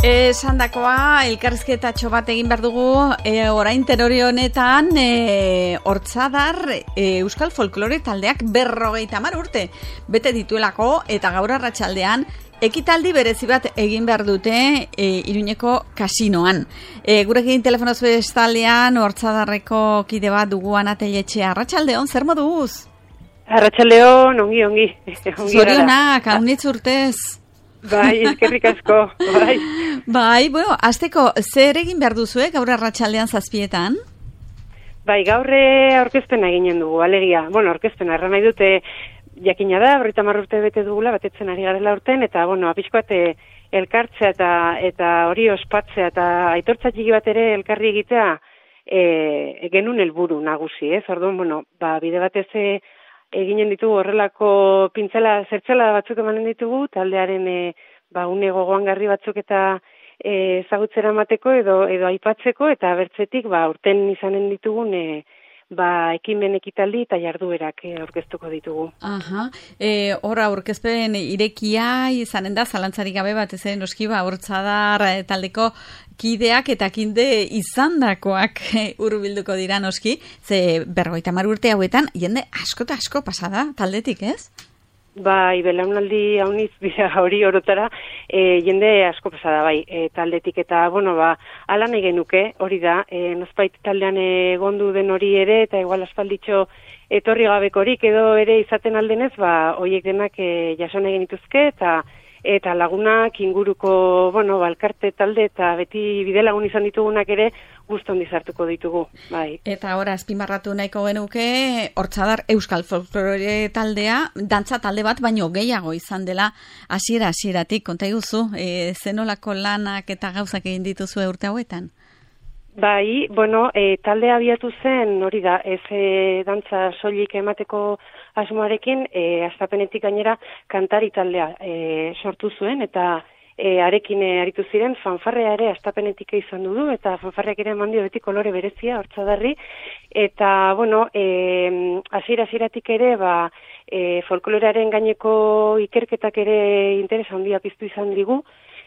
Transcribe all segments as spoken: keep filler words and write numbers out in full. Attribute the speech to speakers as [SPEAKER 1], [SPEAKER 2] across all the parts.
[SPEAKER 1] Esandakoa, elkarrizketatxo bat egin behar dugu, e, orain terori honetan, e, Hortzadar e, Euskal Folklore taldeak berrogeita hamar urte bete dituelako, eta gaur arratsaldean ekitaldi berezi bat egin behar dute e, Iruñeko kasinoan. E, gurekin telefonoz bestaldean Hortzadarreko kide bat dugu Ana Telletxea. Arratsaldeon, zer moduz?
[SPEAKER 2] Arratsaldeon, ongi, ongi.
[SPEAKER 1] Zorionak, haunitz urtez.
[SPEAKER 2] Bai, eskerrik asko, bai.
[SPEAKER 1] Bai, bueno, azteko, zer egin behar duzuek gaur arratsaldean zazpietan?
[SPEAKER 2] Bai, gaur aurkezpena eginen dugu, alegia. Bueno, aurkezpena, erran nahi dute jakina da, berrogeita hamar urte bete dugula, batetzen ari garela urten, eta, bueno, apixkoat elkartzea eta eta hori ospatzea eta aitortza txiki bat ere elkarri egitea e, genuen helburu nagusi, ez? Orduan, bueno, ba, bide batez eginen ditugu horrelako pintzela, zertzela batzuk emanen ditugu, taldearen e, ba, une gogoangarri batzuk eta e, ezagutzera mateko edo edo aipatzeko, eta bertzetik ba, urten izanen ditugun e, ba, ekimen ekitaldi eta jarduerak e, aurkeztuko ditugu.
[SPEAKER 1] Aha, e, horra aurkezpen irekia izanen da, zalantzarik gabe bat ezen noski ba, Hortzadar taldeko kideak eta kinde izandakoak hurbilduko dira noski, ze berrogeita hamar urte hauetan jende asko eta asko pasada taldetik, ez?
[SPEAKER 2] Bai, belaunaldi hauniz dira hori orotara, e, jende asko pasada bai, e, taldetik eta, bueno, ba, ala nahi genuke, hori da, e, nozbait taldean egondu den hori ere, eta igual aspalditxo etorri gabekorik edo ere izaten aldenez, ba, horiek denak e, jason egin dituzke, eta eta lagunak inguruko, bueno, balkarte talde eta beti bide lagun izan ditugunak ere guzti handi sartuko ditugu, bai.
[SPEAKER 1] Eta ora azpimarratu nahiko genuke Hortzadar Euskal Folklore taldea, dantza talde bat baino gehiago izan dela hasiera hasieratik, konta iguzu, e, zenolako lanak eta gauzak egin dituzu urte hauetan?
[SPEAKER 2] Bai, bueno, e, talde abiatu zen, hori da, ez e, dantza soilik emateko asmoarekin, e, astapenetik gainera kantari taldea e, sortu zuen, eta e, arekin e, aritu ziren, fanfarrea ere astapenetik izan du, eta fanfarreak ere eman dio beti kolore berezia, Hortzadarri, eta, bueno, e, hasiera hasieratik ere, ba, e, folklorearen gaineko ikerketak ere interesa handia piztu izan digu,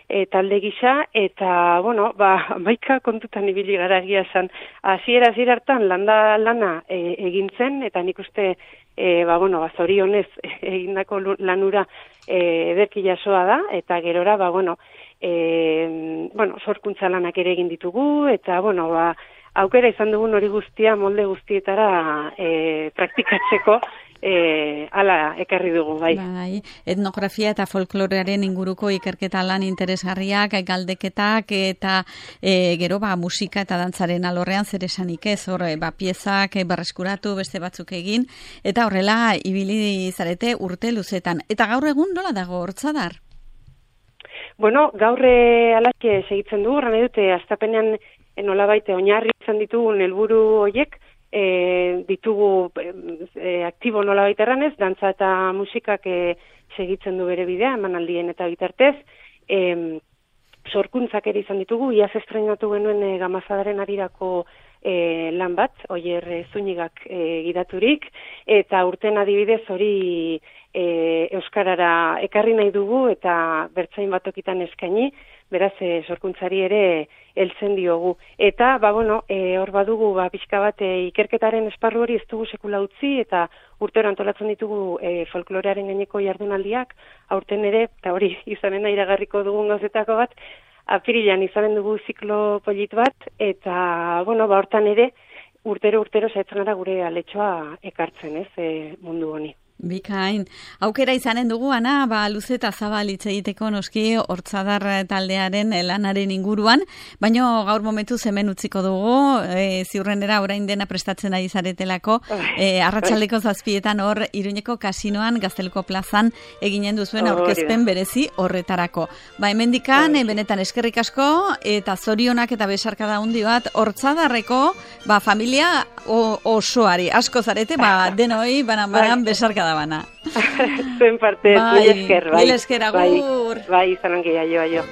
[SPEAKER 2] E, talde gisa, eta, bueno, ba, maika kontutan ibili gara egia esan. Hasiera hasiera hartan landa lana e, egin zen, eta nik uste, e, ba, bueno, ba, zorionez egindako lanura e, ederki jasoa da, eta gerora, ba, bueno, e, bueno, sorkuntza lanak ere egin ditugu, eta, bueno, ba, aukera izan dugun hori guztia, molde guztietara e, praktikatzeko, E, ala ekarri dugu, bai.
[SPEAKER 1] Bai. Etnografia eta folklorearen inguruko ikerketa lan interesgarriak, galdeketak eta e, gero ba, musika eta dantzaren alorrean zer esanik ez, hor ba, piezak berreskuratu beste batzuk egin, eta horrela ibili zarete urte luzetan. Eta gaur egun nola dago Hortzadar?
[SPEAKER 2] Bueno, gaur alaxe segitzen dugu, horren edute, astapenean nolabait oinarri izan ditugun helburu horiek, E, ditugu e, aktibo nola baita erranez, dantza eta musikak e, segitzen du bere bidea, emanaldien eta bitartez, e, sorkuntzak ere izan ditugu, iaz estrenatu genuen e, Gamazadaren arirako e, lan bat, Oier e, Zunigak e, gidaturik, eta urten adibidez hori e, Euskarara ekarri nahi dugu, eta bertzain batokitan eskaini, beraz, e, sorkuntzari ere heltzen diogu. Eta, ba, bueno, e, hor badugu, ba, pixka bat, e, ikerketaren esparru hori ez dugu sekula utzi, eta urtero antolatzen ditugu e, folklorearen gaineko jardunaldiak, aurten ere, eta hori izanen iragarriko dugun gauzetako bat, apirilan izanen dugu ziklo polit bat, eta, bueno, ba, hortan ere, urtero-urtero saiatzen gara gure aletxoa ekartzen, ez, e, mundu honi.
[SPEAKER 1] Bikain. Aukera izanen dugu, Ana, ba, luze eta zabal hitz egiteko noski Hortzadar taldearen lanaren inguruan, baino gaur momentu hemen utziko dugu, e, ziurrenera orain dena prestatzen ari zaretelako, e, arratsaldeko zazpietan hor Iruñeko kasinoan, Gazteluko plazan eginen duzuen aurkezpen berezi horretarako. Ba, hemendikan, e, benetan eskerrik asko, eta zorionak eta besarkada handi bat Hortzadarreko, ba, familia o, osoari, asko zarete, ba, denoi, banan-banan besarkada bana.
[SPEAKER 2] Zuen parte,
[SPEAKER 1] bai,
[SPEAKER 2] mil esker, bai.
[SPEAKER 1] Mil esker, agur.
[SPEAKER 2] Bai, bai, izan ongi, aio, aio.